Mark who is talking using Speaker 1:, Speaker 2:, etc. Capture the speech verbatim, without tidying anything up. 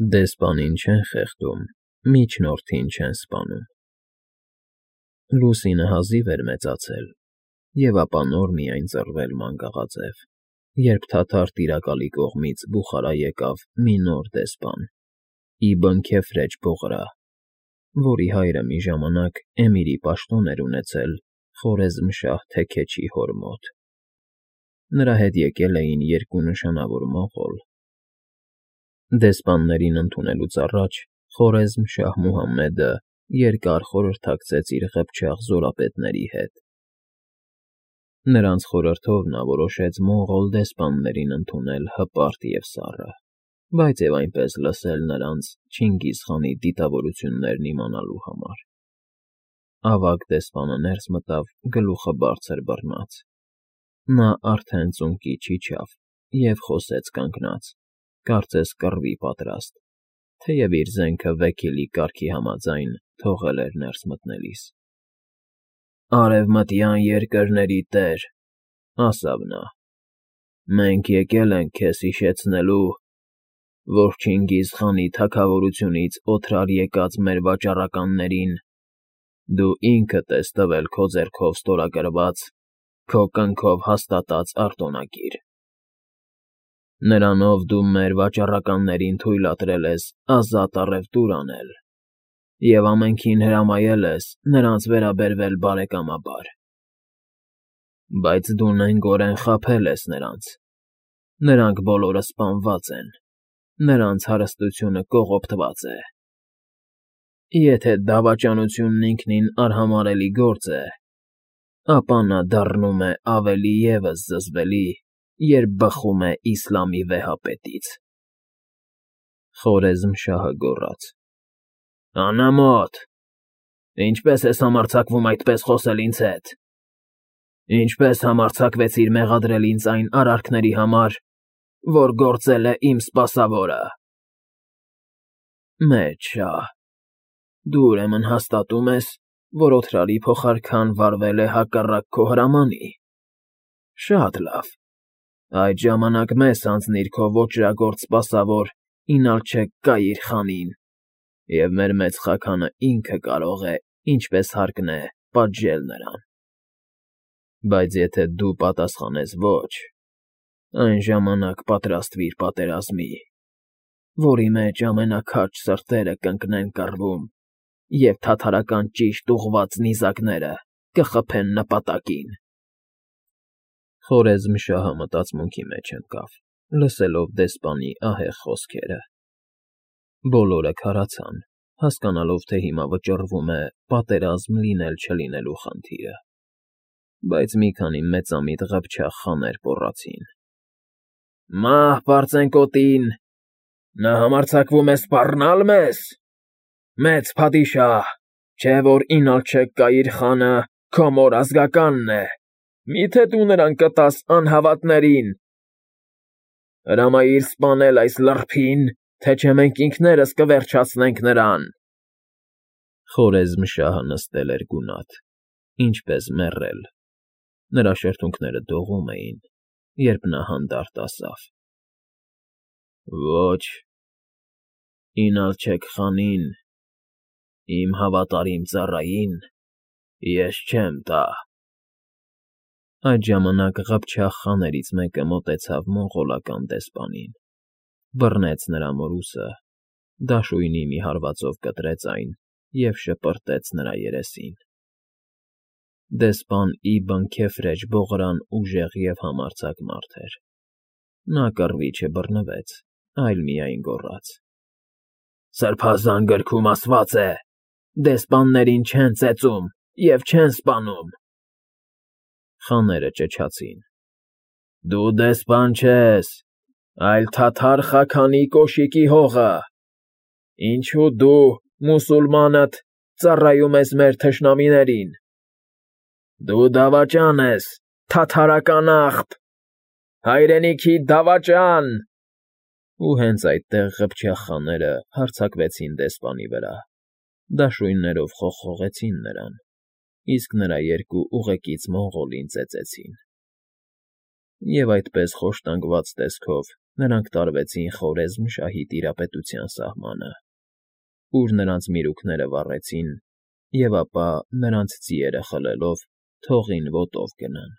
Speaker 1: Դեսպանին չեն խեղդում, միջնորդին չեն սպանում։ Լուսինը հազիվ էր մեծացել և ապա նոր միայն ծռվել մանգաղաձև, երբ թաթար տիրակալի կողմից բուխարա եկավ մի նոր դեսպան՝ Իբն Քեֆրեջ Բողրա, որի հայրը մի ժամանակ էմիրի պաշտոն էր ունեցել Խորեզմշահ թեքեչի հոր մոտ։ Նրա հետ եկել էին երկու նշանավոր մողոլ։ Դեսպաններին ընդունելուց առաջ Խորեզմշահ Մուհամմեդը երկար խորհրդակցեց իր ղփչաղ զորապետների հետ։ Նրանց խորհրդով նա որոշեց մողոլ դեսպաններին ընդունել հպարտ և սառը, բայց և այնպես լսել նրանց Չինգիզ խանի դիտավորություններն իմանալու համար։ Ավագ դեսպանը ներս մտավ գլուխը բարձր բռնած։ Նա արդեն ծունկի չիջավ և խոսեց կանգնած, կարծես կռվի պատրաստ, թեև իր զենքը վեքիլի կարգի համաձայն թողել էր ներս մտնելիս։ «Արևմտյան երկրների տեր,֊ ասավ նա,֊ մենք եկել ենք քեզ հիշեցնելու, որ Չինգիզ խանի թագավորությունից օդրար եկած մեր վաճառականներին դու ինքդ ես տվել քո ձեռքով ստորագրված, քո կնքով հաստատած արտոնակիր։ Նրանով դու մեր վաճառականներին թույլատրել ես ազատ առևտուր անել և ամենքին հրամայել ես նրանց վերաբերվել բարեկամաբար։ Բայց դու նենգորեն խաբել ես նրանց, նրանք բոլորը սպանված են, նրանց հարստությունը կողոպտված է։ Եթե դավաճանությունն ինքնին արհամարհելի գործ է, ապա նա դառնում է ավելի ևս զզվելի, երբ բխում է իսլամի վեհապետից»։ Խորեզմշահը գոռաց. «Անամոթ, ինչպե՞ս ես համարձակվում այդպես խոսել ինձ հետ։ Ինչպե՞ս համարձակվեցիր մեղադրել ինձ այն արարքների համար, որ գործել է իմ սպասավորը։ Մեծ շահ, դու ուրեմն հաստատում ես, որ օդրարի փոխարքան վարվել է հակառակ քո հրամանի։ Շատ լավ, այդ ժամանակ մեզ հանձնիր քո ոճրագործ սպասավոր Ինալչեկ Կայիր խանին, և մեր մեծ խաքանն ինքը կարող է, ինչպես հարկն է, պատժել նրան։ Բայց եթե դու պատասխանես ոչ, այն ժամանակ պատրաստվիր պատերազմի, որի մեջ ամենաքաջ սրտերը կընկնեն կռվում, և թաթարական ճիշտ ուղղված նիզակները կխփեն նպատակին»։ Խորեզմշահը մտածմունքի մեջ ընկավ, լսելով դեսպանի ահեղ խոսքերը։ Բոլորը քարացան, հասկանալով, թե հիմա վճռվում է պատերազմ լինել֊չլինելու խնդիրը։ Բայց մի քանի մեծամիտ ղփչաղ խաներ գոռացին. «Մահ պարծենկոտին, նա համարձակվում է սպառնա՞լ մեզ։ Մեծ փադիշահ, չէ՞ որ Ինալչեկ Կայիր խանը քո մոր ազգականն է, մի՞թե դու նրան կտաս անհավատներին։ Հրամայիր սպանել այս լռփին, թե չէ մենք ինքներս կվերջացնենք նրան»։ Խորեզմշահը նստել էր գունատ, ինչպես մեռել։ Նրա շրթունքները դողում էին, երբ նա հանդարտ ասավ. «Ոչ, Ինալչեկ խանին, իմ հավատարիմ ծառային, ես չեմ տա»։ Այդ ժամանակ ղփչաղ խաներից մեկը մոտեցավ մոնղոլական դեսպանին, բռնեց նրա մորուսը, դաշույնի մի հարվածով կտրեց այն և շպրտեց նրա երեսին։ Դեսպան Իբն Քեֆրեջ Բողրան ուժեղ և համարձակ մարդ էր։ Նա կռվի չբռնվեց, այլ միայն գոռաց. «Սրբազան գրքում ասված է. դեսպաններին չեն ծեծում և չեն սպանում»։ Խաները ճչացին. «Դու դեսպան չես, այլ թաթար խաքանի կոշիկի հողը։ Ինչո՞ւ դու, մուսուլմանդ, ծառայում ես մեր թշնամիներին։ Դու դավաճան ես, թաթարական աղբ, հայրենիքի դավաճան»։ Ու հենց այդտեղ ղփչաղ խաները հարձակվեցին դեսպանի վրա, դաշույններով խողխողեցին նրան, իսկ նրա երկու ուղեկից մոնղոլին ծեծեցին։ Եվ այդպես խոշտանգված տեսքով նրանք տարվեցին Խորեզմ շահի տիրապետության սահմանը, ուր նրանց միրուքները վառեցին և ապա, նրանց ձիերը խլելով, թողին ոտով գնան։